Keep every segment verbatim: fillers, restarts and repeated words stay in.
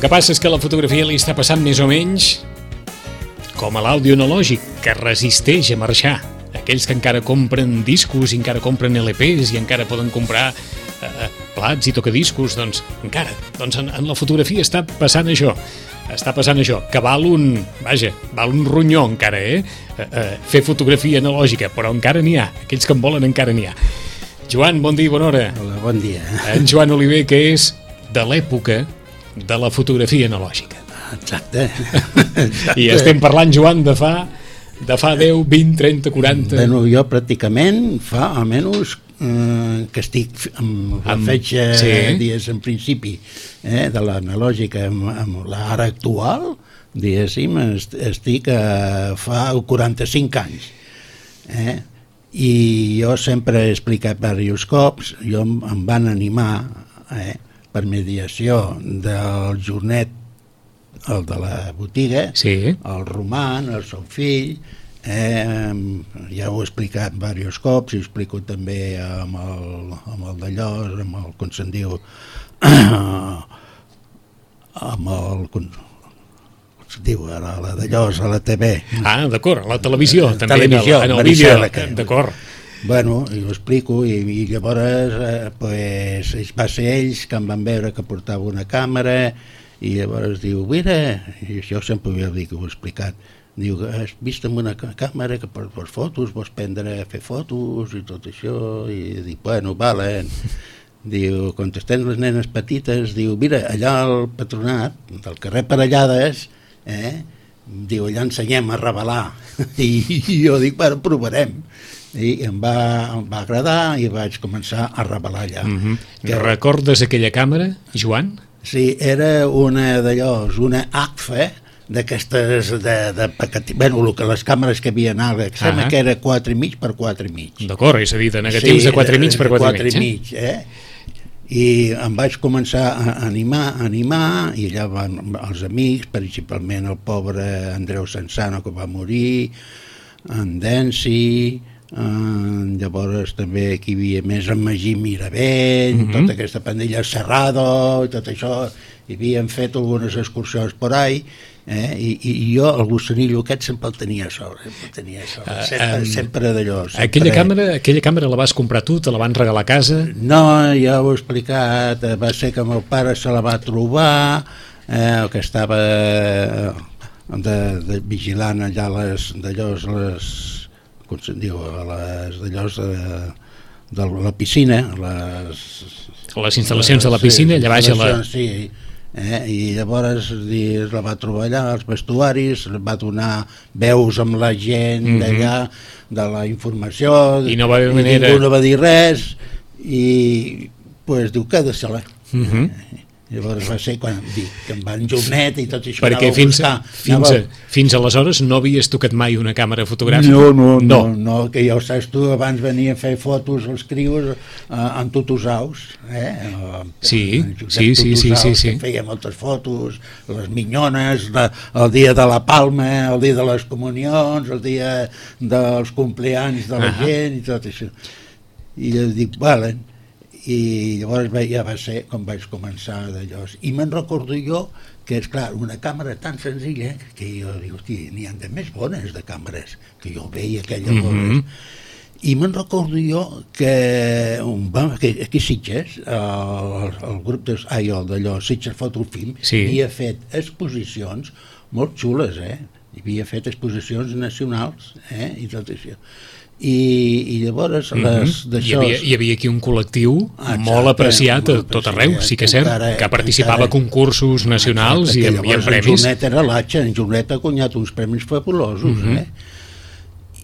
que passa és que la fotografia li està passant més o menys com a l'àudio analògic, que resisteix a marxar. Aquells que encara compren discos i encara compren L Ps i encara poden comprar eh, plats i tocadiscos, doncs encara, doncs en, en la fotografia està passant això. Està passant això, que val un, vaja, val un ronyó encara, eh? eh, eh fer fotografia analògica, però encara n'hi ha. Aquells que en volen encara n'hi ha. Joan, bon dia i bona hora. Hola, bon dia. En Joan Oliver, que és de l'època de la fotografia analògica. Exacte. Exacte. I estem parlant, Joan, de fa, de fa deu, vint, trenta, quaranta... Bueno, jo pràcticament fa almenys eh, que estic amb la Amb- fetge sí. dies en principi eh, de l'analògica amb, amb l'ara actual, diguéssim, est- estic a fa quaranta-cinc anys. Eh? I jo sempre he explicat diversos cops, jo em, em van animar eh, per mediació del Jornet, el de la botiga, Sí. el Roman, el seu fill, eh, ja ho he explicat diversos cops, i ho explico també amb el, amb el d'allò, amb el, com se'n diu, amb el, com se'n diu, ara, la d'allò, a la T V. Ah, d'acord, la televisió, Eh, també televisió, en el, en el Maricel, vídeo, que- d'acord. Bueno, i ho explico, i, i llavors eh, pues, va ser ells que em van veure que portava una càmera, i llavors diu, mira, i jo sempre ho havia dit, que ho he explicat, diu, has vist amb una ca- càmera que per, per fotos, vols prendre a fer fotos i tot això, i dic, bueno, vale. Diu, quan estem les nenes petites, diu, mira, allà al patronat, del carrer Parellades, eh, diu, allà ensenyem a revelar. I, i jo dic, bueno, provarem. I em va, em va agradar i vaig començar a revelar allà. Mm -hmm. Que- Recordes aquella càmera, Joan? Sí, era una d'allò, una A C F, d'aquestes de, de paquet... Bueno, el que les càmeres que havia anat, que sembla Ah. que era quatre i mig per quatre i mig. D'acord, és a dir, de negatius Sí, de quatre i mig per quatre i mig. i mig, eh? I em vaig començar a animar, a animar, i allà van els amics, principalment el pobre Andreu Sansano, que va morir, en Densi, eh, llavors també aquí hi havia més en Magí Miravell, Mhm. tota aquesta pandilla Serrado, i tot això, i havien fet algunes excursions por ahí, eh? I, i jo el gossanillo aquest sempre el tenia a sobre, sempre el tenia a sobre, Ah, sempre, em, sempre d'allò. Sempre... Aquella càmera, aquella càmera la vas comprar tu, te la van regalar a casa? No, ja ho he explicat, eh, va ser que el meu pare se la va trobar, eh, que estava eh, de, de vigilant allà les, d'allò, les, com se'n diu, les d'allò de, de la piscina, les... Les instal·lacions de la piscina, allà baix a la... Sí, eh? I llavors es la va trobar allà, als vestuaris, va donar veus amb la gent Mhm. d'allà, de la informació, I no va haver i manera- ningú no va dir res, i pues, diu, queda-se-la. Mhm. Llavors va ser quan dic que em van Jornet i tot això. Perquè anava a fins, buscar, fins, a, anava- fins aleshores no havies tocat mai una càmera fotogràfica? No, no, no, no, que ja ho saps tu, abans venia a fer fotos als crios eh, en tutusaus, eh? Eh, Sí, en Josep sí, sí, sí, Tutusaus, sí, sí. que feia moltes fotos, les minyones, la, el dia de la Palma, el dia de les comunions, el dia dels compleanys de la Ahà. gent i tot això. I jo dic, vale, i llavors va- ja va ser com vaig començar d'allò. I me'n recordo jo que, és clar, una càmera tan senzilla que jo dic, hosti, n'hi ha de més bones de càmeres, que jo veia aquelles Mhm. bones. I me'n recordo jo que, un, va, que aquí a Sitges, el, el grup de, ai, el d'allò, Sitges Fotofilm, Sí. havia fet exposicions molt xules, eh? Havia fet exposicions nacionals, eh? I tot això. I, i llavors Mhm. les Hi, d'això... havia, hi havia aquí un col·lectiu Exacte, molt apreciat a molt tot arreu, apreciat, sí que és cert, encara- que participava a encara- concursos nacionals Exacte, i, que en- i en llavors premis. En Jornet era l'atxa, en Jornet ha guanyat uns premis fabulosos, Mhm. eh?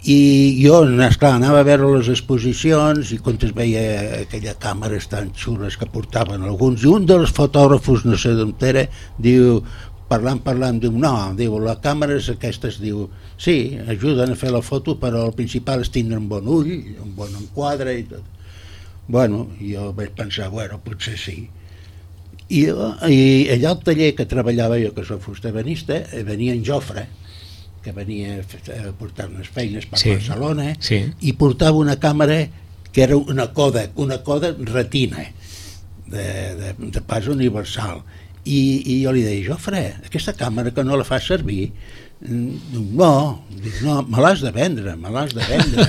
I jo, esclar, anava a veure les exposicions i quan es veia aquelles càmeres tan xules que portaven alguns, i un dels fotògrafos, no sé d'on era, diu, parlant, parlant, diu, no, diu, les càmeres aquestes, diu, sí, ajuden a fer la foto, però el principal és tindre un bon ull, un bon enquadre i tot. Bueno, jo vaig pensar, bueno, potser sí. I, i allà al taller que treballava jo, que soc fustebanista, venia en Jofre, que venia a portar unes feines per Sí, Barcelona, sí. i portava una càmera que era una Kodak, una Kodak retina, de, de, de pas universal. i, i jo li deia, Jofre, aquesta càmera que no la fas servir, no, dic, no, me l'has de vendre, me l'has de vendre.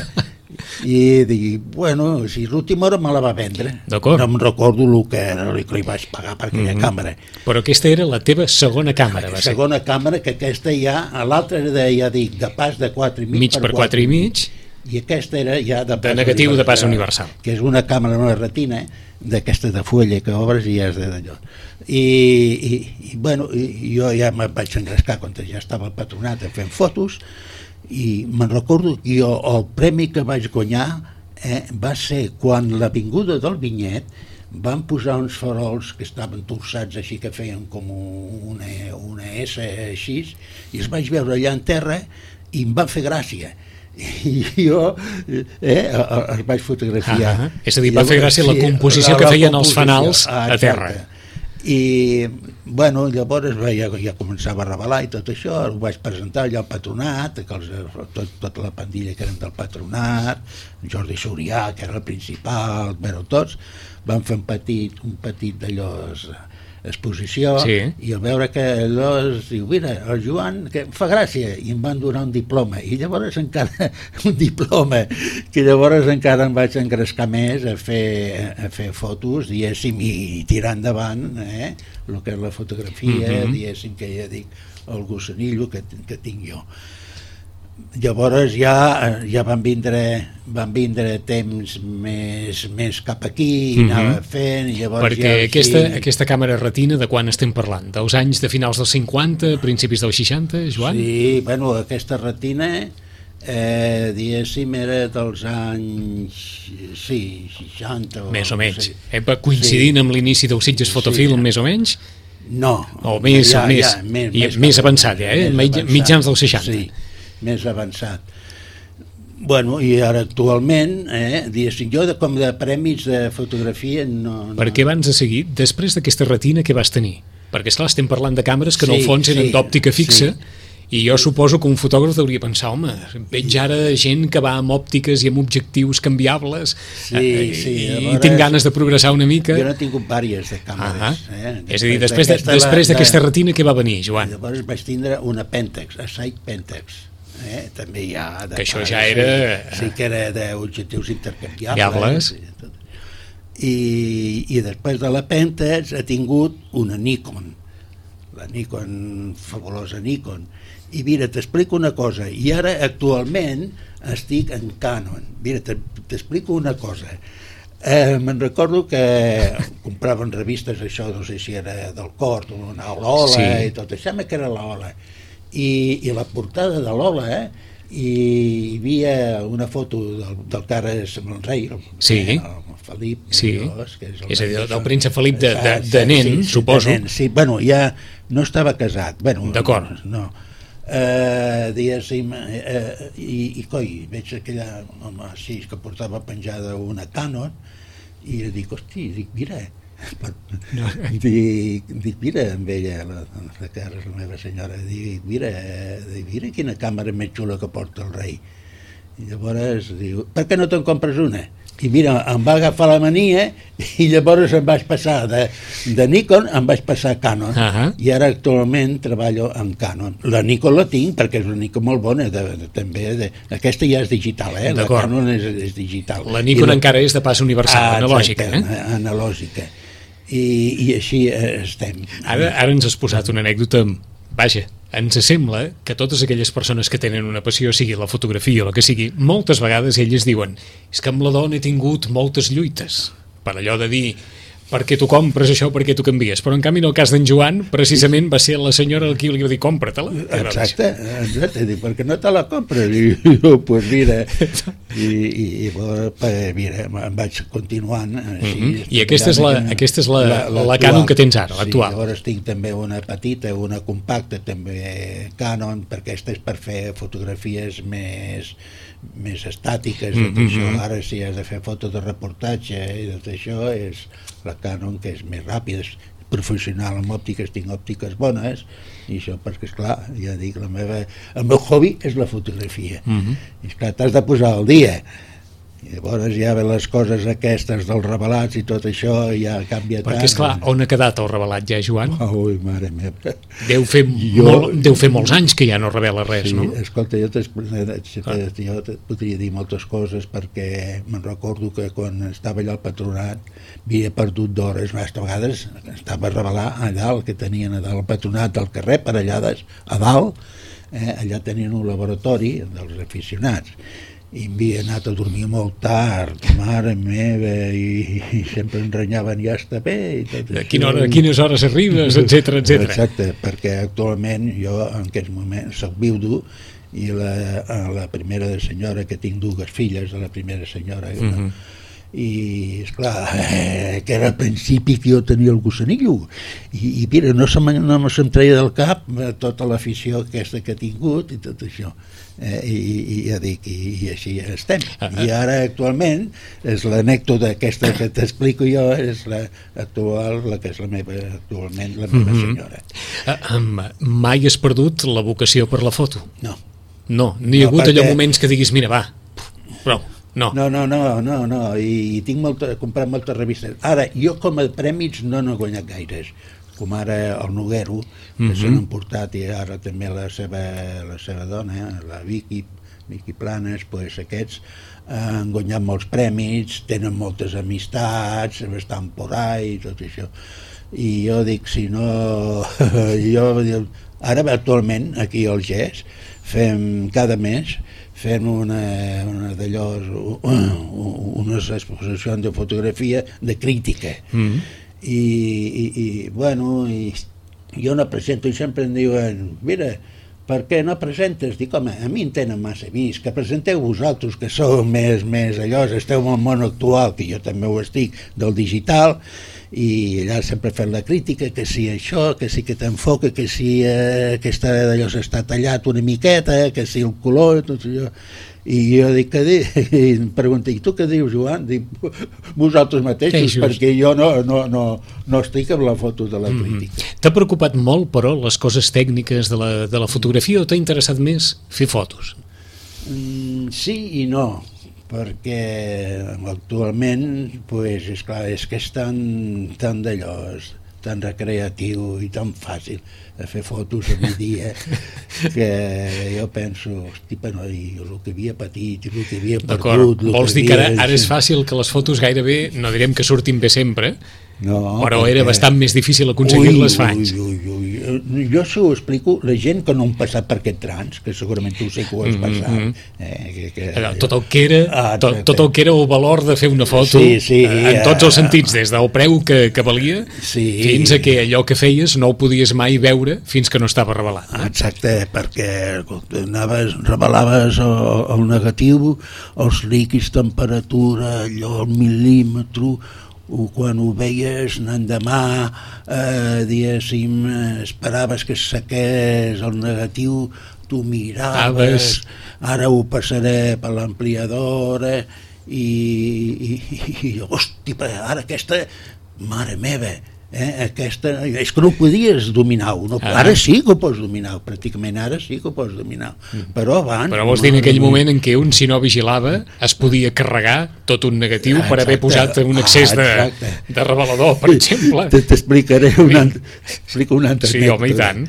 I dic, bueno, si l'última hora me la va vendre. D'acord. No em recordo el que era el que li vaig pagar per aquella mm-hmm. càmera. Però aquesta era la teva segona càmera, va ser. Segona càmera, que aquesta ja, l'altra era de, ja dic, de pas de quatre i mig, mig per quatre i mig, i aquesta era ja de pas de negatiu universal, de pas universal, que és una càmera, una retina, d'aquesta de fulla que obres i ja és d'allò. I, i, i bueno, i, jo ja me vaig engrescar quan ja estava al patronat fent fotos, i me'n recordo que jo el premi que vaig guanyar eh, va ser quan l'avinguda del Vinyet van posar uns farols que estaven torçats així, que feien com una, una S així, i els vaig veure allà en terra i em van fer gràcia. I jo eh, els vaig fotografiar. Ah, és a dir, va fer gràcia la composició que feien els fanals a terra. I bueno, llavors ja, ja començava a revelar i tot això, ho vaig presentar allà al patronat, que els, tot, tota la pandilla que eren del patronat, Jordi Sorià, que era el principal, bueno, tots van fer un petit, un petit d'allò exposició, sí. I al veure que allò es diu, mira, el Joan que fa gràcia, i em van donar un diploma, i llavors encara un diploma, que llavors encara em vaig engrescar més a fer, a fer fotos, diguéssim, i tirar endavant eh, el que és la fotografia, mm-hmm. diguéssim, que ja dic, el gossanillo que, que tinc jo. Llavors ja, ja van vindre van vindre temps més, més cap aquí i mm-hmm. anava fent i llavors perquè ja, aquesta, sí. aquesta càmera retina de quan estem parlant? Dels anys de finals dels cinquanta, principis dels seixanta, Joan? Sí, bueno, aquesta retina eh, diguéssim era dels anys sí, seixanta o, més o menys, sí. eh, coincidint sí. amb l'inici del Sitges Fotofilm sí. més o menys? No, o més, ja, més, ja, més, i, més, més avançat ja, eh? més avançat. Mitjans dels seixanta sí. més avançat. Bueno, i ara actualment, eh, diguéssim, jo de, com de premis de fotografia no... no. Perquè abans de seguir, després d'aquesta retina que vas tenir? Perquè esclar, estem parlant de càmeres que sí, en el fons eren sí, d'òptica fixa, sí. I jo suposo que un fotògraf hauria pensar, home, veig ara gent que va amb òptiques i amb objectius canviables sí, eh, sí, i, i tinc ganes de progressar una mica. Jo n'he tingut diverses de càmeres. Uh-huh. eh? És a dir, després d'aquesta de, de, retina què va venir, Joan? Llavors vaig tindre una Pentax, a Sight Pentax. Eh? També hi ha... De que això pares, ja era... Sí, sí que era d'objectius intercanviables. I, I després de la Pentax he tingut una Nikon, la Nikon, fabulosa Nikon. I mira, t'explico una cosa, i ara actualment estic en Canon. Mira, t'explico una cosa. Eh, me'n recordo que compraven revistes, això, no sé si era del Cort, una l'Ola sí. i tot això, que era l'Ola. I, I la portada de l'Ola, eh, i hi havia una foto del, del Carles Montseny, el, sí. el Felip, sí. Llavors, que és, el és a dir, del príncep Felip de, de, de nen, sí, sí, suposo. De nen, sí, bueno, ja no estava casat. Bueno, d'acord. No. Uh, diguéssim, uh, i, i coi, veig aquella home així que portava penjada una Canon i dic, hosti, dic, mira no. dic, dic, mira amb ella, la, la cara, la meva senyora, dic, mira, dic, mira quina càmera més xula que porta el rei. I llavors diu, per què no te'n compres una? I mira, em va agafar la mania i llavors em vaig passar de, de Nikon, em vaig passar a Canon. Uh-huh. I ara actualment treballo amb Canon. La Nikon la tinc perquè és una Nikon molt bona, de, de, també. De, aquesta ja és digital, eh? La Canon és, és digital. La Nikon la... encara és de pas universal, ah, analògica. Exacte, eh? Analògica. I, i així estem. Ara, ara ens has posat una anècdota, vaja, ens sembla que totes aquelles persones que tenen una passió, sigui la fotografia o la que sigui, moltes vegades elles diuen és que amb la dona he tingut moltes lluites, per allò de dir per què tu compres això, per què tu canvies, però en canvi en el cas d'en Joan precisament va ser la senyora qui li va dir compra-te-la. Exacte, exacte, dic, per què no te la compres? I jo, pues mira, i, i, i mira, em vaig continuant així. Mm-hmm. I aquesta és la, aquesta és la, la, la, la Canon que tens ara, l'actual. Sí, llavors tinc també una petita, una compacta, també Canon, perquè aquesta és per fer fotografies més més estàtiques, mm-hmm. tot això. Ara si has de fer fotos de reportatge i tot això és la Canon, que és més ràpida, és professional amb òptiques, tinc òptiques bones i això perquè esclar, ja dic, la meva, el meu hobby és la fotografia. Mm-hmm. I esclar, t'has de posar al dia I llavors ja ve les coses aquestes dels revelats i tot això ja canvia tant. Perquè, esclar, on ha quedat el revelat ja, Joan? Ui, mare meva. Deu fer, jo... molt, deu fer molts anys que ja no revela res, sí, no? Escolta, jo, jo te podria dir moltes coses perquè me'n recordo que quan estava allà al patronat havia perdut d'hores, a vegades estava a revelar a dalt, que tenien a dalt el patronat del carrer, parellades a dalt, eh, allà tenien un laboratori dels aficionats, i m'havia anat a dormir molt tard, mare meva, i, i sempre em renyaven, ja està bé i tot a quina hora, a quines hores arribes, etcètera, etcètera. Exacte, perquè actualment jo en aquests moments soc viudo i la, la primera senyora, que tinc dues filles de la primera senyora, uh-huh. no? I esclar, eh, que era al principi que jo tenia el gossanillo i, i mira, no se'm, no se'm treia del cap tota l'afició aquesta que he tingut i tot això, eh, i, i ja dic, i, i així estem. I ara actualment és l'anècdota aquesta que t'explico jo, és la actual, la que és la meva actualment la meva senyora. Uh, um, mai has perdut la vocació per la foto? No. No, ni hi ha hagut perquè... allò moments que diguis, mira, va, prou. No. No, no, no, no, no. I, i tinc molta, he comprat moltes revistes. Ara, jo com a prèmits no n'he guanyat gaires, com ara el Noguero, que mm-hmm. se n'han portat, i ara també la seva, la seva dona, la Vicky, Vicky Planes, pues aquests han guanyat molts prèmits, tenen moltes amistats, estan por ahí, tot això. I jo dic, si no... jo, ara, actualment, aquí al G E S, fem cada mes fem una, una d'allò, unes exposicions de fotografia de crítica. Mm. I, i, i, bueno, i jo no presento i sempre em diuen, mira, per què no presentes? Dic, home, a mi em tenen massa vist, que presenteu vosaltres, que sou més, més allò, esteu en el món actual, que jo també ho estic, del digital, i allà sempre fem la crítica, que si això, que si que t'enfoca, que si eh, aquesta d'allò s'està tallat una miqueta, que si el color, tot allò. I jo dic, què dic? I em pregunta, i tu què dius, Joan? Dic, vosaltres mateixos, sí, perquè jo no, no, no, no estic amb la foto de la crítica. Mm-hmm. T'ha preocupat molt, però, les coses tècniques de la, de la fotografia, o t'ha interessat més fer fotos? Mm, sí i no, perquè actualment pues, és clar, és que és tan, tan d'allò, tan recreatiu i tan fàcil de fer fotos a migdia que jo penso, hosti, però i el que havia patit i el que havia perdut... Vols dir que ara, ara és fàcil que les fotos gairebé, no direm que surtin bé sempre, no, però perquè... era bastant més difícil aconseguir-les fa anys. Ui, ui, ui. Jo s'ho explico, la gent que no han passat per aquest trans, que segurament tu sé que ho has passat. Mm-hmm. eh, que, que... Tot, el que era, ah, tot, tot el que era el valor de fer una foto, sí, sí, en uh... tots els sentits, des del preu que, que valia, sí. fins a que allò que feies no ho podies mai veure fins que no estava revelat. No? Exacte, perquè anaves, revelaves el, el negatiu, els líquids, temperatura, allò, el mil·límetre, o quan ho veies l'endemà, eh, diguéssim, esperaves que es sequés el negatiu, tu miraves, ara ho passaré per l'ampliadora i, i, i hosti, ara aquesta, mare meva, Eh, aquesta, és que no ho podies dominar, no, ah. ara sí que ho pots dominar, pràcticament ara sí que ho pots dominar, mm. però abans... Però vols dir en aquell moment en què un, si no vigilava, es podia carregar tot un negatiu ah, per haver posat un excés ah, de, de revelador, per exemple. T'explicaré una, explico una altra sí, home, i tant.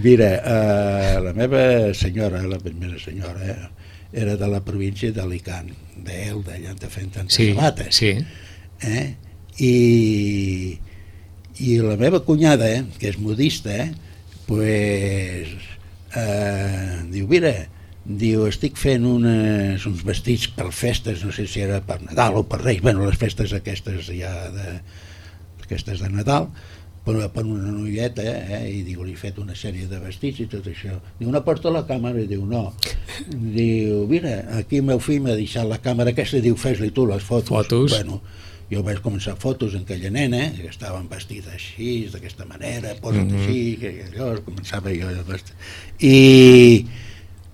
Mira, uh, la meva senyora, la primera senyora, eh, era de la província d'Alicant, d'Elda, allà te feien tantes sí, sabates. Sí. Eh? I... I la meva cunyada, eh, que és modista, eh, pues, eh, diu, mira, diu, estic fent unes, uns vestits per festes, no sé si era per Nadal o per Reis, bueno, les festes aquestes ja de, aquestes de Nadal, per, per una noieta, eh, i diu, li he fet una sèrie de vestits i tot això. Diu, no porta la càmera? I diu, no. Diu, mira, aquí el meu fill m'ha deixat la càmera aquesta, diu, fes-li tu les fotos. Fotos? Bueno, jo vaig començar fotos en aquella nena, que estaven vestida així, d'aquesta manera, posa't mm-hmm. així, que allò, començava jo a vestir. I,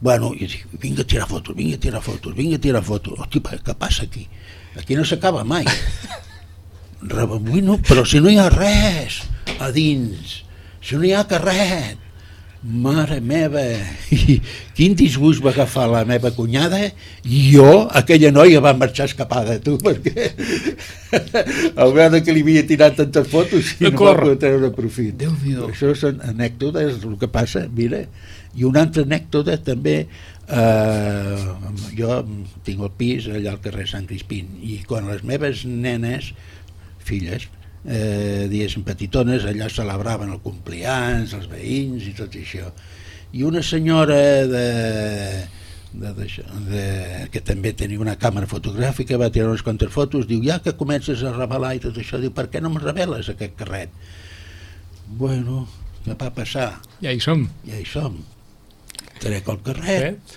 bueno, i dic, vinga a tirar fotos, vinga a tirar fotos, vinga a tirar fotos. Hosti, què passa aquí? Aquí no s'acaba mai. Rebobino, però si no hi ha res a dins, si no hi ha carret, Mare meva, i quin disgust va agafar la meva cunyada, i jo, aquella noia va marxar escapada, tu, perquè al veure que li havia tirat tantes fotos i no va poder treure profit. Déu-n'hi-do. Això són anècdotes, el que passa, mira. I una altra anècdota també, eh, jo tinc el pis allà al carrer Sant Crispín, i quan les meves nenes, filles, eh, diguéssim petitones, allà celebraven el complians, els veïns i tot això, i una senyora de, de, de, de, que també tenia una càmera fotogràfica va tirar unes quantes fotos, diu, ja que comences a revelar i tot això, diu, per què no em reveles aquest carret? Bueno, què va passar? Ja hi som. Ja hi som. Trec el carret,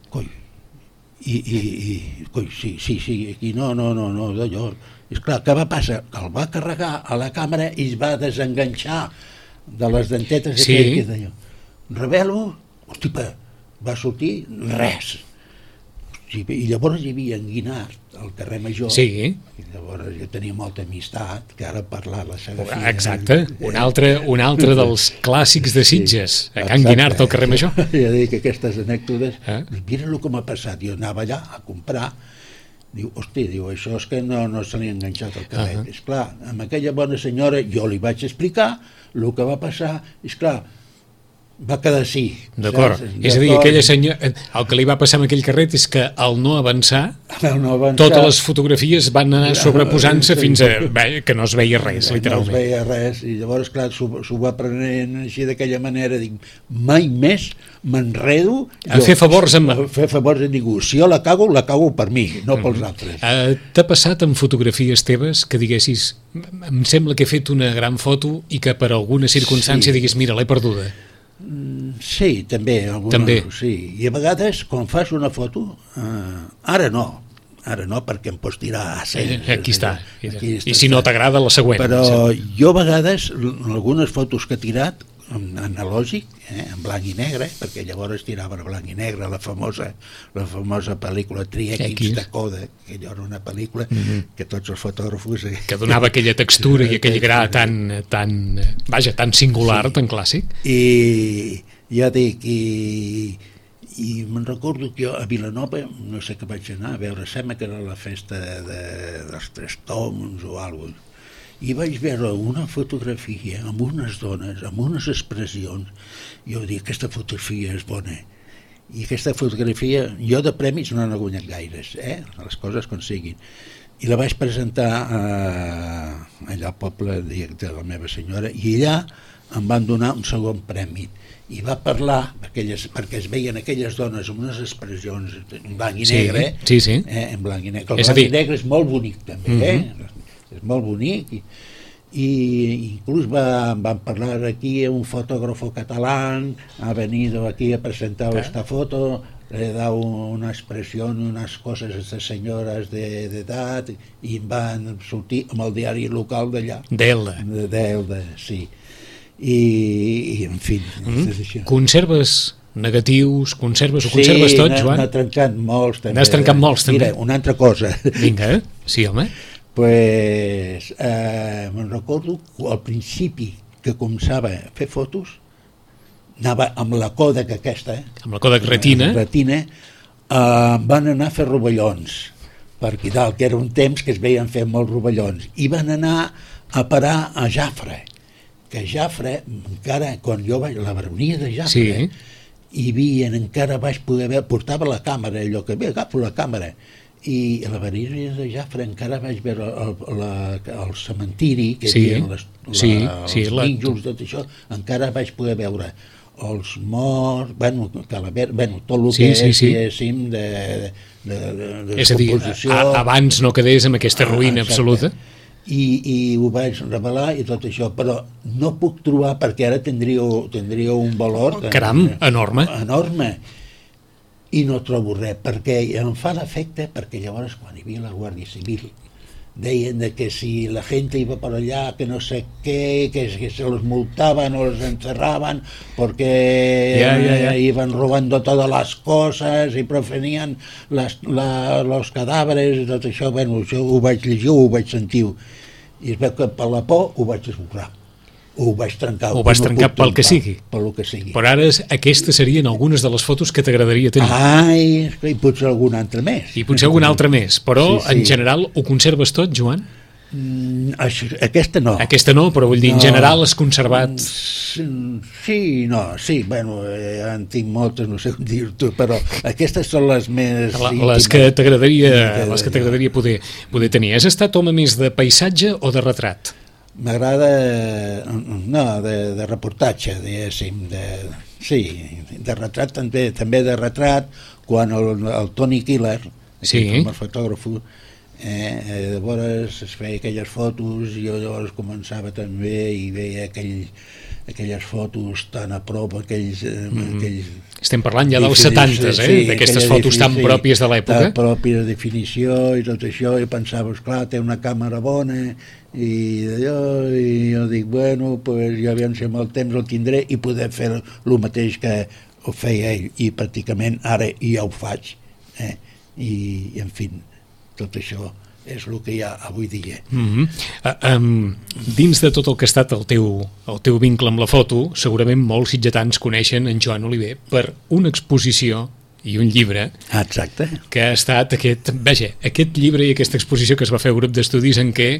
coi, i, i, i coi, sí, sí, sí, aquí no, no, no, no, d'allò. És clar, què va passar? Que el va carregar a la càmera i es va desenganxar de les dentetes sí. aquell que deia. Revelo, hosti, va sortir res. Hosti, i llavors hi havia en Guinart, al carrer Major, sí. i llavors jo tenia molta amistat, que ara parlar la Sagafia. Exacte, un altre, un altre dels clàssics de Sitges, sí, a Can Guinart, al carrer Major. Ja dic, aquestes anècdotes, eh? mira el que m'ha passat, jo anava allà a comprar. Diu, hosti, diu, això és que no, no se li ha enganxat el carret. Uh -huh. Esclar, amb aquella bona senyora jo li vaig explicar el que va passar, esclar, va quedar així. D'acord, és a dir, aquella senyora, el que li va passar amb aquell carret és que al no avançar, no avançar totes les fotografies van anar sobreposant-se fins a bé, que no es veia res, literalment. No es veia res, i llavors, clar, s'ho va prenent així d'aquella manera, dic, mai més m'enredo a fer favors amb... a fer favors a ningú. Si jo la cago, la cago per mi, no pels altres. Uh, T'ha passat amb fotografies teves que diguessis, em sembla que he fet una gran foto i que per alguna circumstància sí. diguis, mira, l'he perduda? Sí, també, alguna, també. Sí. I a vegades quan fas una foto, eh, ara no, ara no perquè em pots tirar a cent. Aquí està. Aquí està. I si no t'agrada, la següent. Però jo a vegades, algunes fotos que he tirat, en analògic, eh, en blanc i negre, perquè llavors tirava en blanc i negre la famosa, la famosa pel·lícula Trièquins de Coda, que allò era una pel·lícula mm-hmm. que tots els fotògrafos... Eh, que donava aquella textura i aquell gra tan, tan, vaja, tan singular, sí. tan clàssic. I ja dic, i, i me'n recordo que jo a Vilanova, no sé què vaig anar a veure, sembla que era la festa de, de, dels Tres Toms o alguna cosa, i vaig veure una fotografia amb unes dones, amb unes expressions, i jo dic, aquesta fotografia és bona, i aquesta fotografia, jo de premis no n'he guanyat gaires, eh? Les coses com siguin, i la vaig presentar a, allà al poble de la meva senyora, i allà em van donar un segon premi, i va parlar, aquelles, perquè es veien aquelles dones amb unes expressions en blanc i negre, sí, sí, sí. Eh, en blanc i negre, el blanc dir... i negre és molt bonic també, uh-huh. eh? És molt bonic, i, i inclús va, van parlar aquí un fotògrafo català, ha venido aquí a presentar eh? esta foto, le da una expressió, unes coses a aquestes senyores d'edat, de, i van sortir amb el diari local d'allà. D'Elda. D'Elda, sí. I, i en fi... Mm. Conserves negatius, conserves, ho conserves sí, tot, Joan? Sí, n'ha trencat molts també. N'has trencat molts també? Mira, una altra cosa. Vinga, sí, home. Pues, eh, me'n recordo al principi que començava a fer fotos, anava amb la Kodak aquesta, amb la Kodak Retina, retina eh, van anar a fer rovellons, perquè dalt, que era un temps que es veien fer molts rovellons, i van anar a parar a Jafre, que Jafre, encara, quan jo vaig, la baronia de Jafre, sí. hi havia, encara vaig poder veure, portava la càmera, allò que ve, agafo la càmera, i a la baronia de Jafre encara vaig veure el, la, el cementiri, que sí. hi havia les, la, sí, sí, els nínxols, tot això, encara vaig poder veure els morts, bueno, calaver, bueno tot el sí, que sí, és, sí. diguéssim, de, de, de, de és a dir, a, abans no quedés amb aquesta ruïna ah, absoluta. I, i ho vaig revelar i tot això, però no puc trobar, perquè ara tindria, tindria un valor... Caram, enorme. Enorme. I no trobo res, perquè em fa l'efecte, perquè llavors quan hi havia la Guàrdia Civil deien de que si la gent iba per allà, que no sé què, que, que se los multaban o los encerraban porque yeah, yeah, yeah. iban robando todas las cosas i profanían las, la, los cadàveres i tot això. Bueno, això ho vaig llegir, ho vaig sentir, i es veu que per la por ho vaig esborrar. ho vaig trencar. Ho vas no trencar pel que sigui. Pel que sigui. Però ara aquestes serien algunes de les fotos que t'agradaria tenir. Ai, i potser algun altre més. I potser algun altre més, però sí, sí. en general ho conserves tot, Joan? Mm, això, aquesta no. Aquesta no, però vull dir, no. En general has conservat... Sí, no, sí, bueno, eh, en tinc moltes, no sé com dir-t'ho, però aquestes són les més... La, les que t'agradaria les que t'agradaria poder, poder tenir. Has estat home més de paisatge o de retrat? M'agrada, no, de, de reportatge, diguéssim, de, sí, de retrat també, també de retrat, quan el, el Tony Killer, sí. el fotògraf, eh, llavors es feia aquelles fotos i jo llavors començava també i veia aquell, aquelles fotos tan a prop, aquells... Eh, mm. aquells Estem parlant ja dels setantes, eh? Sí, d'aquestes fotos tan sí, pròpies de l'època. Tan pròpies de definició i tot això, i pensava, esclar, té una càmera bona, i d'allò, i jo dic, bueno, pues jo aviam si amb el temps el tindré i poder fer el mateix que ho feia ell, i pràcticament ara ja ho faig, eh? I, en fi, tot això és el que hi ha avui dia. Mm-hmm. uh, um, dins de tot el que ha estat el teu, el teu vincle amb la foto, segurament molts sitgetans coneixen en Joan Oliver per una exposició i un llibre. Exacte. Que ha estat aquest, vaja, aquest llibre i aquesta exposició que es va fer al grup d'estudis en què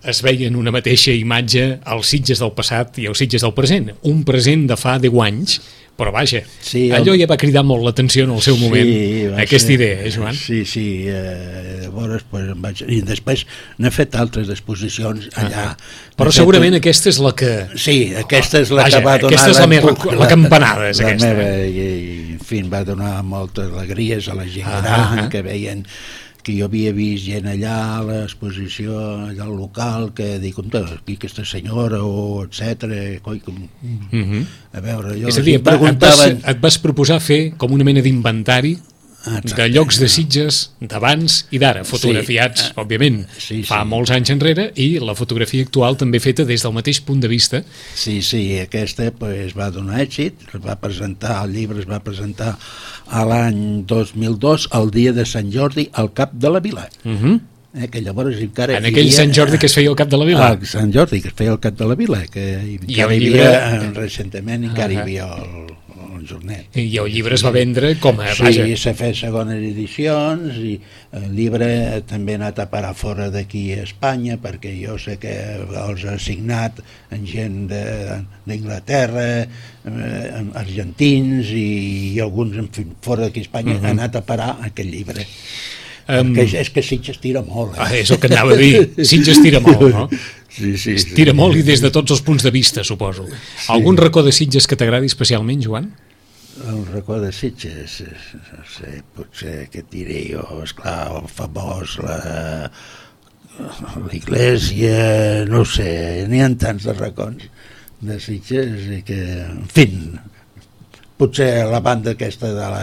es veien una mateixa imatge als Sitges del passat i als Sitges del present. Un present de fa deu anys, però vaja, sí, el... allò ja va cridar molt l'atenció en el seu moment, sí, aquesta ser... idea, eh, Joan? Sí, sí, eh, llavors, pues, em vaig... i després n'he fet altres exposicions allà. Ah, però segurament fet... aquesta és la que... Sí, aquesta és la vaja, que va donar... Aquesta és la, meva, la, la campanada, és la aquesta. Meva, i, en fi, va donar moltes alegries a la gent ah, gran, ah, que veien... que jo havia vist gent allà a l'exposició, allà al local, que dic, aquí aquesta senyora, o etcètera, coi, com... Mm-hmm. A veure, jo... És a dir, preguntaven... et, vas, et vas proposar fer com una mena d'inventari de llocs de Sitges d'abans i d'ara, fotografiats, sí, òbviament, sí, sí. fa molts anys enrere, i la fotografia actual també feta des del mateix punt de vista. Sí, sí, aquesta pues, va donar èxit, es va presentar, el llibre es va presentar a l'any dos mil dos, el dia de Sant Jordi, al Cap de la Vila. Uh-huh. Eh, que llavors encara en aquell havia, Sant Jordi que es feia al Cap de la Vila. El Sant Jordi que es feia al Cap de la Vila, que I encara el hi llibre... havia, recentment encara uh-huh. hi havia el, el jornet. I el llibre es va vendre com a... Sí, s'ha fet segones edicions, i el llibre també ha anat a parar fora d'aquí a Espanya, perquè jo sé que els ha signat en gent d'Inglaterra, eh, argentins, i, i alguns, en fi, fora d'aquí a Espanya, uh-huh. ha anat a parar aquest llibre. Um, és, és que Sitges tira molt, eh? Ah, és el que anava a dir, Sitges tira molt, no? Sí, sí, sí. Tira molt i des de tots els punts de vista, suposo. Sí. Algun racó de Sitges que t'agradi especialment, Joan? El racó de Sitges, no sé, potser què et diré jo, esclar, el famós, la, l'església, no sé, n'hi ha tants de racons de Sitges i que, en fi, potser la banda aquesta de la...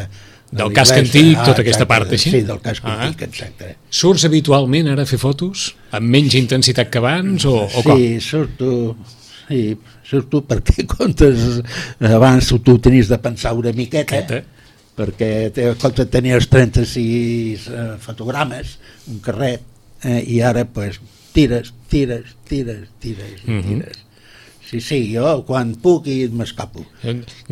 del casc antic, tota aquesta part així? Sí, del casc antic, exacte. Surts habitualment ara a fer fotos? Amb menys intensitat que abans o, o com? Sí, surto, sí, surto perquè comptes, abans tu tenies de pensar una miqueta, Queta. perquè comptes tenies trenta-sis eh, fotogrames, un carret, eh, i ara pues, tires, tires, tires, tires, mm-hmm. tires. Sí, sí, jo quan puc i m'escapo.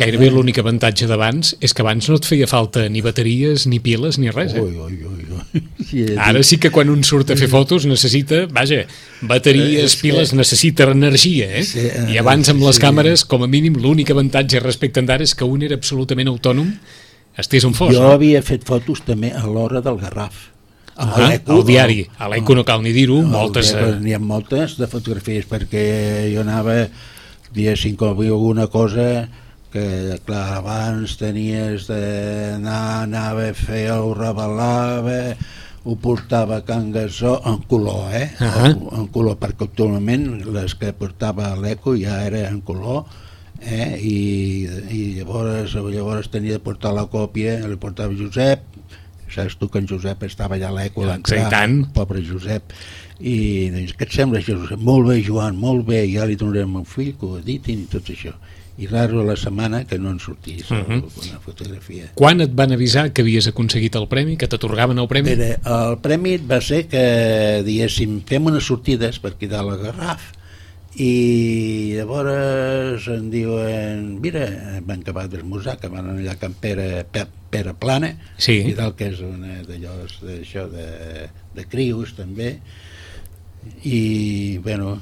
Gairebé l'únic avantatge d'abans és que abans no et feia falta ni bateries, ni piles, ni res, eh? Ui, ui, ui, ui. Sí, ara sí que quan un surt a fer fotos necessita, vaja, bateries, piles, necessita energia, eh? Sí, uh, I abans amb les sí. càmeres, com a mínim, l'únic avantatge respecte d'ara és que un era absolutament autònom, estés on fos. Jo no? havia fet fotos també a l'hora del Garraf. Ah, al diari, a l'Eco no cal ni dir-ho, moltes... N'hi ha moltes de fotografies, perquè jo anava, diguéssim, com havia alguna cosa que, clar, abans tenies d'anar, anava a fer, ho revelava, ho portava a Can Gasó en color, eh? Uh-huh. En color, perquè actualment les que portava a l'Eco ja era en color, eh? I, i llavors, llavors tenia de portar la còpia, li portava Josep, saps tu que en Josep estava allà a l'Eco, l'entrar, pobre Josep, i doncs, què et sembla, Josep? Molt bé, Joan, molt bé, ja li donaré al meu fill que ho editin i tot això. I raro a la setmana que no en sortís uh-huh. una fotografia. Quan et van avisar que havies aconseguit el premi, que t'atorgaven el premi? Mira, el premi va ser que, diguéssim, fem unes sortides per cridar la Garraf, i llavors em diuen, mira, van acabar d'esmorzar, que van anar allà a Can Pere, Pere Plana, sí. i tal, que és una d'allò d'això de, de crios també, i bueno,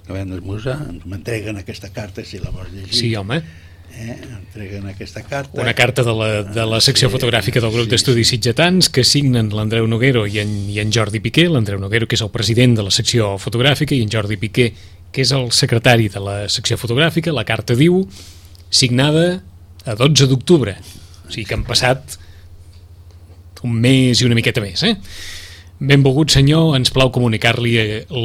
acabem d'esmorzar, m'entreguen aquesta carta si la vols llegir. Sí, home. Eh, entreguen aquesta carta. Una carta de la, de la secció sí, fotogràfica del grup sí, d'estudis sí. sitgetans que signen l'Andreu Noguero i en, i en Jordi Piqué, l'Andreu Noguero que és el president de la secció fotogràfica i en Jordi Piqué que és el secretari de la secció fotogràfica. La carta diu signada a dotze d'octubre, o sigui que han passat un mes i una miqueta més, eh? Benvolgut senyor, ens plau comunicar-li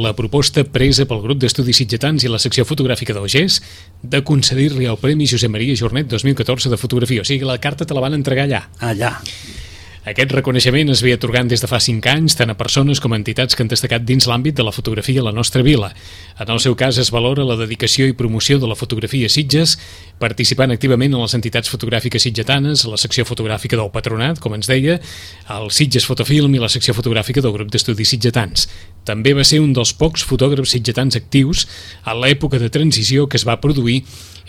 la proposta presa pel grup d'estudis sitgetans i la secció fotogràfica d'O G E S de concedir-li el Premi Josep Maria Jornet dos mil catorze de fotografia. O sigui, la carta te la van entregar allà. Allà. Aquest reconeixement es ve atorgant des de fa cinc anys tant a persones com a entitats que han destacat dins l'àmbit de la fotografia a la nostra vila. En el seu cas es valora la dedicació i promoció de la fotografia a Sitges, participant activament en les entitats fotogràfiques sitgetanes, a la secció fotogràfica del Patronat, com ens deia, el Sitges Fotofilm i la secció fotogràfica del grup d'estudis sitgetans. També va ser un dels pocs fotògrafs sitgetans actius a l'època de transició que es va produir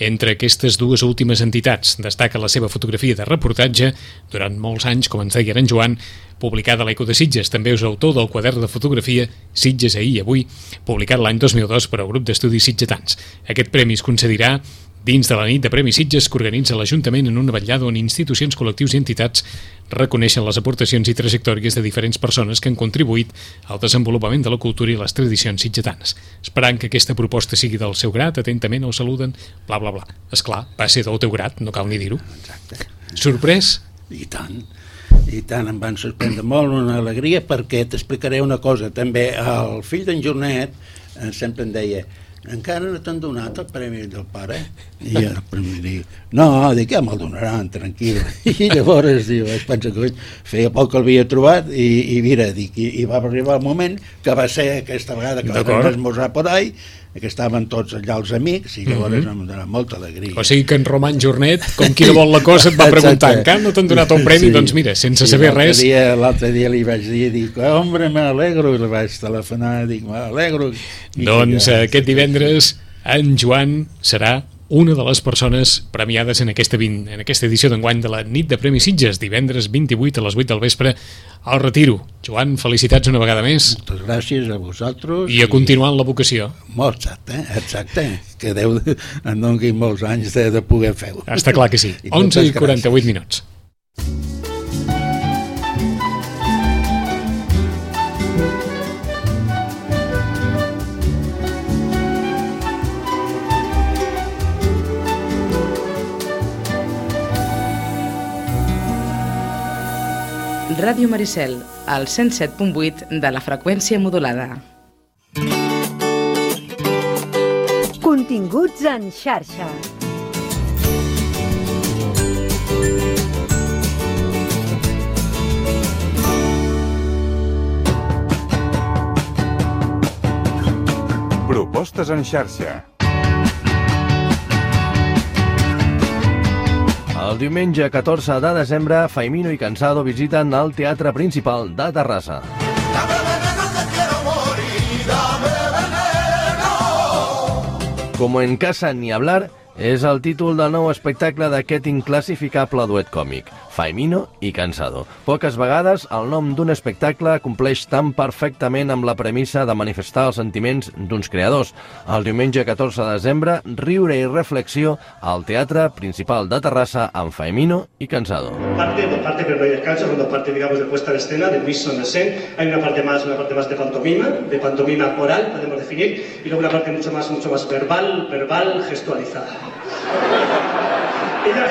entre aquestes dues últimes entitats. Destaca la seva fotografia de reportatge durant molts anys, com ens deia en Joan, publicada a l'Eco de Sitges. També és autor del quadern de fotografia Sitges ahir i avui, publicat l'any dos mil dos per al grup d'estudis sitgetans. Aquest premi es concedirà dins de la nit de Premis Sitges que organitza l'Ajuntament en una vetllada on institucions, col·lectius i entitats reconeixen les aportacions i trajectòries de diferents persones que han contribuït al desenvolupament de la cultura i les tradicions sitgetanes. Esperant que aquesta proposta sigui del seu grat, atentament el saluden, bla, bla, bla. Esclar, va ser del teu grat, no cal ni dir-ho. Exacte. Sorprès? I tant. I tant, em van sorprendre molt, una alegria, perquè t'explicaré una cosa. També el fill d'en Jornet eh, sempre em deia, encara no t'han donat el premi del pare? I el premi diu, no, dic, ja me'l donaran, tranquil. I llavors diu, vaig pensar que feia poc que l'havia trobat i, i mira, dic, i, i va arribar el moment que va ser aquesta vegada que vam esmorzar por ahí, que estaven tots allà els amics i llavors mm-hmm. em donava molta alegria. O sigui que en Roman Jornet, com qui no vol la cosa, et va preguntar, encara no t'han donat el premi? Sí, doncs mira, sense sí, saber res... L'altre dia li vaig dir, dic, hombre, me alegro, i li vaig telefonar, dic, me alegro. Doncs ja, aquest divendres en Joan serà una de les persones premiades en aquesta, vint, en aquesta edició d'enguany de la nit de Premis Sitges, divendres vint-i-vuit a les vuit del vespre al Retiro. Joan, felicitats una vegada més. Moltes gràcies a vosaltres. I a continuar en la vocació. Molt, exacte, exacte. Que Déu en doni molts anys de, de poder fer-ho. Està clar que sí. onze i quaranta-vuit minuts. Ràdio Maricel, al cent set punt vuit de la freqüència modulada. Continguts en xarxa. Propostes en xarxa. El diumenge catorze de desembre, Faimino i Cansado visiten el Teatre Principal de Terrassa. Como en casa ni hablar és el títol del nou espectacle d'aquest inclassificable duet còmic, Faimino i Cansado. Poques vegades el nom d'un espectacle compleix tan perfectament amb la premissa de manifestar els sentiments d'uns creadors. El diumenge catorze de desembre, riure i reflexió al Teatre Principal de Terrassa amb Faimino y Cansado. Parte, parte pero no hay descanso, cuando parte, digamos, de puesta en escena, de mise en scène, hay una parte más, una parte más de pantomima, de pantomima oral, podemos definir, y luego una parte mucho más, mucho más verbal, verbal, gestualizada. I ja,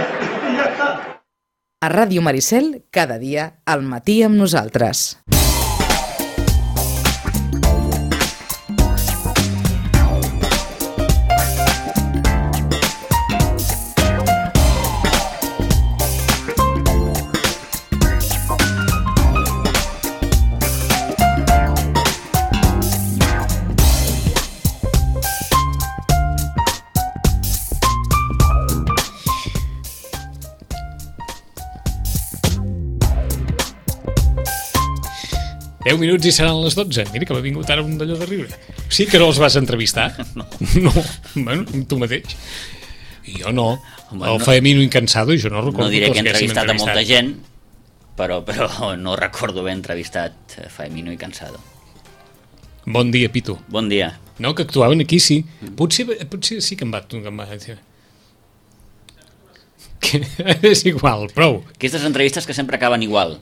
i ja està. A Ràdio Maricel, cada dia al matí amb nosaltres. deu minuts i seran les dotze. Mira que m'ha vingut ara un d'allò de riure. Sí que no els vas entrevistar? No. No, bueno, tu mateix. Jo no. Bueno, el Faemino Incansado, jo no recordo no diré que he haguéssim entrevistat a molta gent, però, però no recordo haver entrevistat Faemino i Cansado. Bon dia, Pitu. Bon dia. No, que actuaven aquí, sí. Potser, potser sí que em va... Que em va que és igual, prou. Aquestes entrevistes que sempre acaben igual.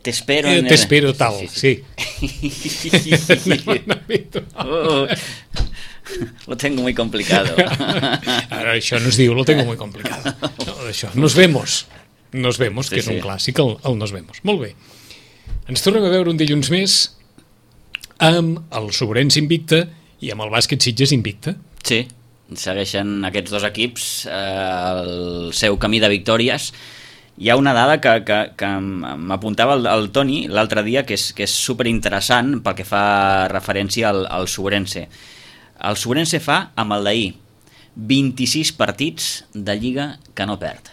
T'espero... Eh, en... T'espero tal, sí. sí, sí. sí. Oh, lo tengo muy complicado. Ara, això no es diu, lo tengo muy complicado. No, això, nos vemos. Nos vemos, Sí, que és sí. un clàssic, el, el nos vemos. Molt bé. Ens tornem a veure un dilluns més amb el Sobrense invicte i amb el Bàsquet Sitges invicte. Sí, segueixen aquests dos equips eh, el seu camí de victòries. Hi ha una dada que, que, que m'apuntava el, el Toni l'altre dia que és, que és superinteressant pel que fa referència al, al Sobrense. El Sobrense fa, amb el d'ahir, vint-i-sis partits de Lliga que no perd.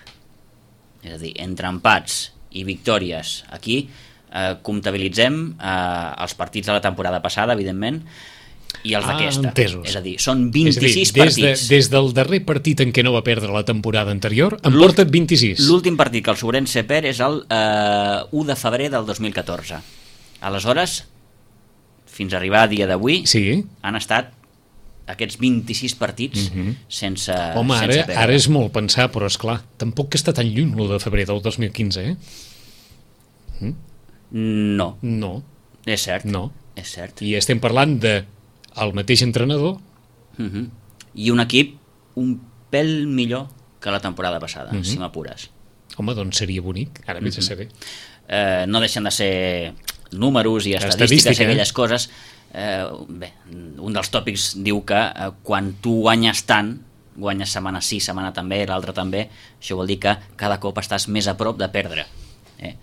És a dir, entre empats i victòries. Aquí eh, comptabilitzem eh, els partits de la temporada passada, evidentment, i els Ah, d'aquesta. entesos. És a dir, són És a dir, vint-i-sis des, de, partits. des del darrer partit en què no va perdre la temporada anterior, en L'úl- porta vint-i-sis. L'últim partit que el Sobrense perd és el eh, u de febrer del dos mil catorze. Aleshores, fins a arribar a dia d'avui, Sí. han estat aquests vint-i-sis partits Mhm. sense, Home, ara, sense perdre. ara és molt pensar, però és clar, tampoc que està tan lluny l'u de febrer del dos mil quinze, eh? No, No, és cert. no. És cert. I estem parlant de el mateix entrenador. Mhm. I un equip un pèl millor que la temporada passada, Mhm. si m'apures. Home, doncs seria bonic, ara vés a saber. Eh, no deixen de ser números i Estadística, estadístiques i eh? aquelles coses. Eh, bé, un dels tòpics diu que eh, quan tu guanyes tant, guanyes setmana sí, setmana també, l'altra també, això vol dir que cada cop estàs més a prop de perdre. Eh?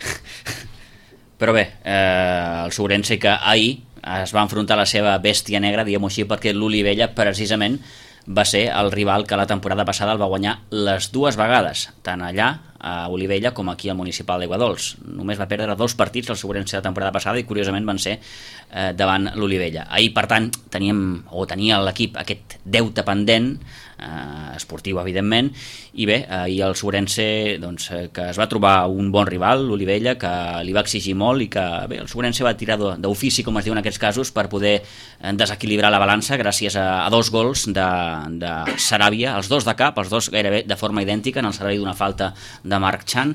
Però bé, eh, el Sobrense que ahir es va enfrontar a la seva bèstia negra, diguem-ho així, perquè l'Olivella precisament va ser el rival que la temporada passada el va guanyar les dues vegades, tant allà a Olivella com aquí al Municipal d'Aiguadols. Només va perdre dos partits el Sobrense la temporada passada i curiosament van ser eh, davant l'Olivella. Ahir, per tant, teníem, o tenia l'equip aquest deute pendent, eh, esportiu evidentment, i bé, ahir el Sobrense doncs, eh, que es va trobar un bon rival, l'Olivella, que li va exigir molt i que bé, el Sobrense va tirar d'ofici, com es diu en aquests casos, per poder eh, desequilibrar la balança gràcies a, a dos gols de, de Saràbia, els dos de cap, els dos gairebé de forma idèntica, en el servei d'una falta de Marc Chan,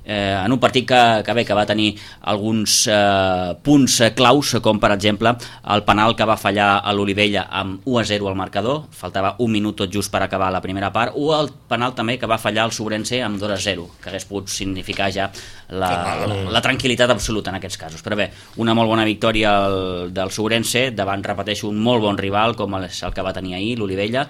eh, en un partit que, que, bé, que va tenir alguns eh, punts claus, com per exemple el penal que va fallar a l'Olivella amb u a zero al marcador, faltava un minut tot just per acabar la primera part, o el penal també que va fallar el Sobrense amb dos a zero, que hagués pogut significar ja la, la, la tranquil·litat absoluta en aquests casos. Però bé, una molt bona victòria el, del Sobrense davant, repeteixo, un molt bon rival com el, el que va tenir ahir, l'Olivella,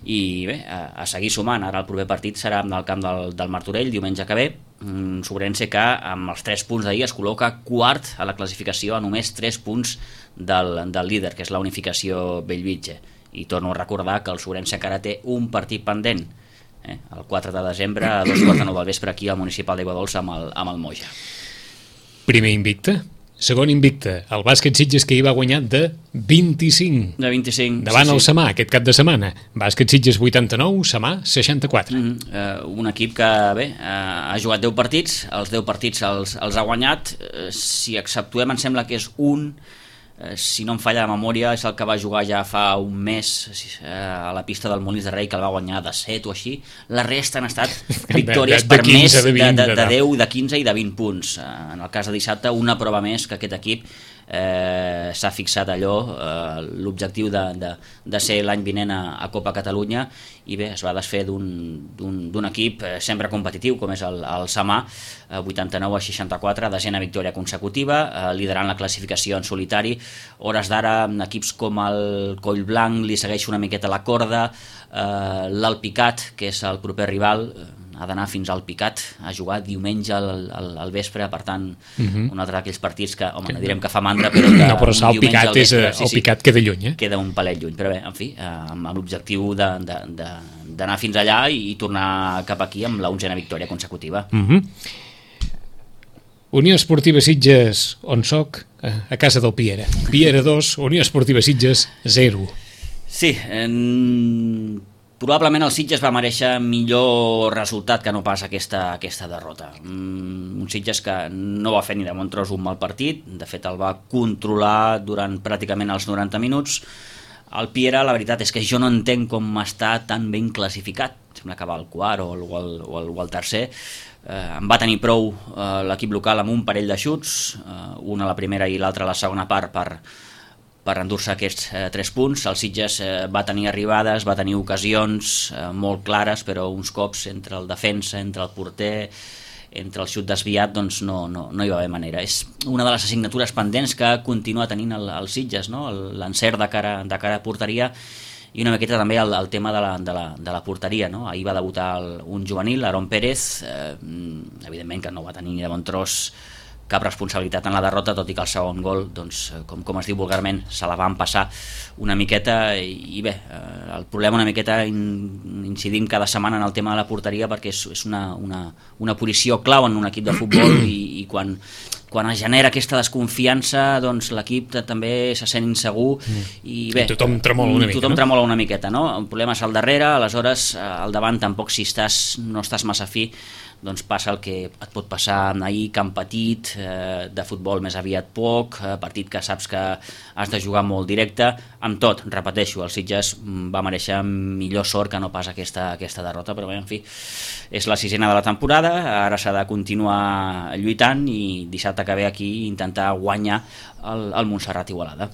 i bé, a, a seguir sumant. Ara el proper partit serà en el camp del, del Martorell, diumenge que ve, un Sobrense que amb els tres punts d'ahir es col·loca quart a la classificació a només tres punts del, del líder, que és la unificació Bellvitge. I torno a recordar que el Sobrense encara té un partit pendent, eh? el quatre de desembre a dos quarts de nou del vespre aquí al Municipal d'Aiguadols amb el, amb el Moja. Primer invicte, segon invicte, el Bàsquet Sitges que hi va guanyar de vint-i-cinc. De vint-i-cinc. Davant sí, el sí. Samà, aquest cap de setmana. Bàsquet Sitges vuitanta-nou, Samà seixanta-quatre. Mm -hmm. uh, un equip que bé, uh, ha jugat deu partits, els deu partits els, els ha guanyat, uh, si exceptuem em sembla que és un, uh, si no em falla la memòria, és el que va jugar ja fa un mes uh, a la pista del Molins de Rei, que el va guanyar de set o així. La resta han estat victòries de- de per quinze, més de de, vint, de, de de tal. deu, de quinze i de vint punts. Uh, en el cas de dissabte, una prova més que aquest equip eh, s'ha fixat allò, eh, l'objectiu de, de, de ser l'any vinent a, a Copa Catalunya, i bé, es va desfer d'un equip eh, sempre competitiu com és el, el Samà, eh, vuitanta-nou a seixanta-quatre, desena victòria consecutiva, eh, liderant la classificació en solitari. Hores d'ara, equips com el Collblanc li segueix una miqueta la corda, eh, l'Alpicat, que és el proper rival, eh, ha d'anar fins al Picat a jugar diumenge al, al, al vespre, per tant, uh -huh. un altre d'aquells partits que, home, no direm que fa mandra, però que No, però un el diumenge Picat, al és, vespre, eh, el Picat queda lluny, eh? queda un palet lluny, però bé, en fi, eh, amb, amb l'objectiu de, de, de, d'anar fins allà i, i tornar cap aquí amb la onzena victòria consecutiva. Uh -huh. Unió Esportiva Sitges, on soc, a casa del Piera. Piera dos, Unió Esportiva Sitges zero. Sí, en... probablement el Sitges va mereixer millor resultat que no pas aquesta, aquesta derrota. Un Sitges que no va fer ni de bon tros un mal partit, de fet el va controlar durant pràcticament els noranta minuts. El Piera, la veritat és que jo no entenc com està tan ben classificat, sembla que va al quart o el, o el, o el, o el tercer. Eh, en va tenir prou eh, l'equip local amb un parell de xuts, eh, una a la primera i l'altra a la segona part per, per endur-se aquests eh, tres punts. El Sitges eh, va tenir arribades, va tenir ocasions eh, molt clares, però uns cops entre el defensa, entre el porter, entre el xut desviat, doncs no, no, no hi va haver manera. És una de les assignatures pendents que continua tenint el, el Sitges, no? L'encert de cara, de cara a porteria, i una miqueta també el, el tema de la, de la, de la porteria, no? Ahir va debutar el, un juvenil, Aaron Pérez, eh, evidentment que no va tenir ni de bon tros cap responsabilitat en la derrota, tot i que el segon gol, doncs, com, com es diu vulgarment, se la van passar una miqueta, i, i bé, eh, el problema una miqueta in, incidim cada setmana en el tema de la porteria, perquè és, és una, una, una posició clau en un equip de futbol, i, i quan, quan es genera aquesta desconfiança, doncs l'equip també se sent insegur, i bé, I tothom tremola una mica, tothom no? tremola una miqueta, no? El problema és al darrere, aleshores al davant tampoc, si estàs, no estàs massa fi, doncs passa el que et pot passar ahir, camp petit, eh, de futbol més aviat poc, eh, partit que saps que has de jugar molt directe. Amb tot, repeteixo, el Sitges va mereixer millor sort que no pas aquesta, aquesta derrota, però bé, en fi, és la sisena de la temporada, ara s'ha de continuar lluitant i dissabte que ve aquí intentar guanyar el, el Montserrat Igualada.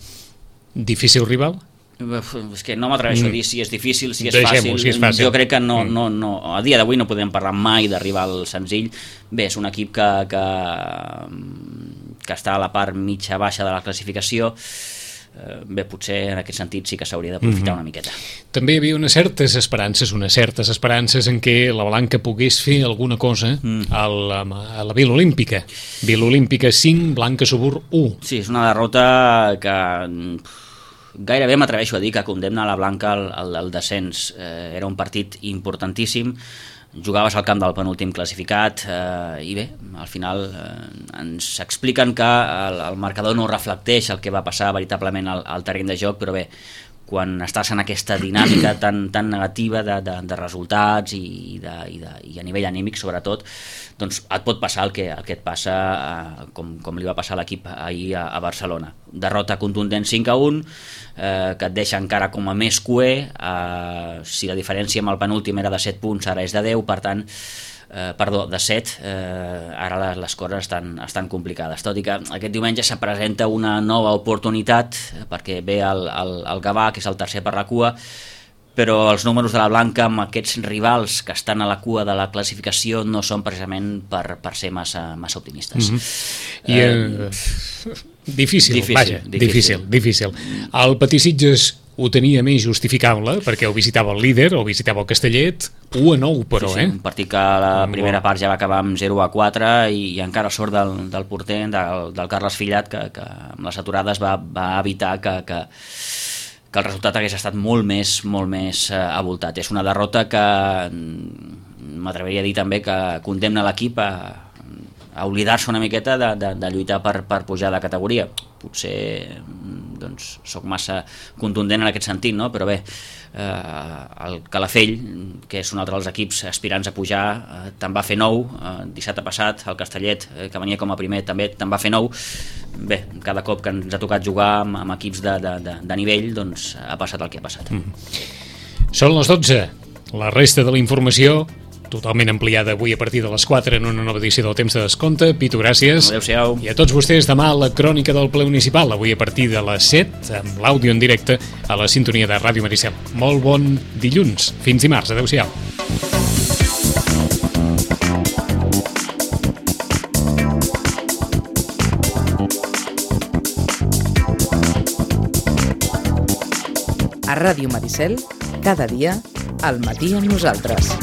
Difícil rival? És que no m'atreveixo a dir si és difícil, si és Deixem-ho, fàcil. si és fàcil. Jo crec que no, no, no, a dia d'avui no podem parlar mai de rival senzill. Bé, és un equip que, que, que està a la part mitja-baixa de la classificació. Bé, potser en aquest sentit sí que s'hauria d'aprofitar Mm-hmm. una miqueta. També hi havia unes certes esperances, unes certes esperances en què la Blanca pogués fer alguna cosa Mm. al, a la Vila Olímpica. Vila Olímpica cinc, Blanca Subur u. Sí, és una derrota que gairebé m'atreveixo a dir que condemna a la Blanca al, al, al descens. Eh, era un partit importantíssim, jugaves al camp del penúltim classificat, eh, i bé, al final eh, ens expliquen que el, el marcador no reflecteix el que va passar veritablement al, al terreny de joc, però bé, quan estàs en aquesta dinàmica tan, tan negativa de, de, de resultats i, de, i, de, i a nivell anímic sobretot, doncs et pot passar el que, el que et passa eh, com, com li va passar a l'equip ahir a, a Barcelona. Derrota contundent cinc a un, eh, que et deixa encara com a més cuer, eh, si la diferència amb el penúltim era de set punts, ara és de deu, per tant, Eh, perdó, de set, eh, ara les, les coses estan, estan complicades, tot i que aquest diumenge se presenta una nova oportunitat, eh, perquè ve el, el, el Gavà, que és el tercer per la cua, però els números de la Blanca amb aquests rivals que estan a la cua de la classificació no són precisament per, per ser massa, massa optimistes. Mm-hmm. I, eh, difícil, difícil, vaja, difícil. difícil, difícil. El Patí Sitges ho tenia més justificable, perquè ho visitava el líder, o visitava el Castellet, u a nou, però, sí, sí, eh? un partit que la primera part ja va acabar amb zero a quatre i, i encara sort del, del porter, del, del Carles Fillat, que, que amb les aturades va, va evitar que, que, que el resultat hagués estat molt més, molt més eh, avoltat. És una derrota que m'atreviria a dir també que condemna l'equip a, a oblidar-se una miqueta de, de, de lluitar per, per pujar de categoria. Potser doncs, soc massa contundent en aquest sentit, no? Però bé, eh, el Calafell, que és un altre dels equips aspirants a pujar, eh, te'n va fer nou, eh, dissabte passat, el Castellet, eh, que venia com a primer, també te'n va fer nou. Bé, cada cop que ens ha tocat jugar amb, amb equips de, de, de, de nivell, doncs ha passat el que ha passat. Mm. Són les dotze, la resta de la informació totalment ampliada avui a partir de les quatre en una nova edició del Temps de Descompte. Pitu, gràcies. Adéu-siau. I a tots vostès demà la crònica del ple municipal, avui a partir de les set, amb l'àudio en directe a la sintonia de Ràdio Maricel. Molt bon dilluns. Fins dimarts. Adéu-siau. A Ràdio Maricel, cada dia, al matí amb nosaltres.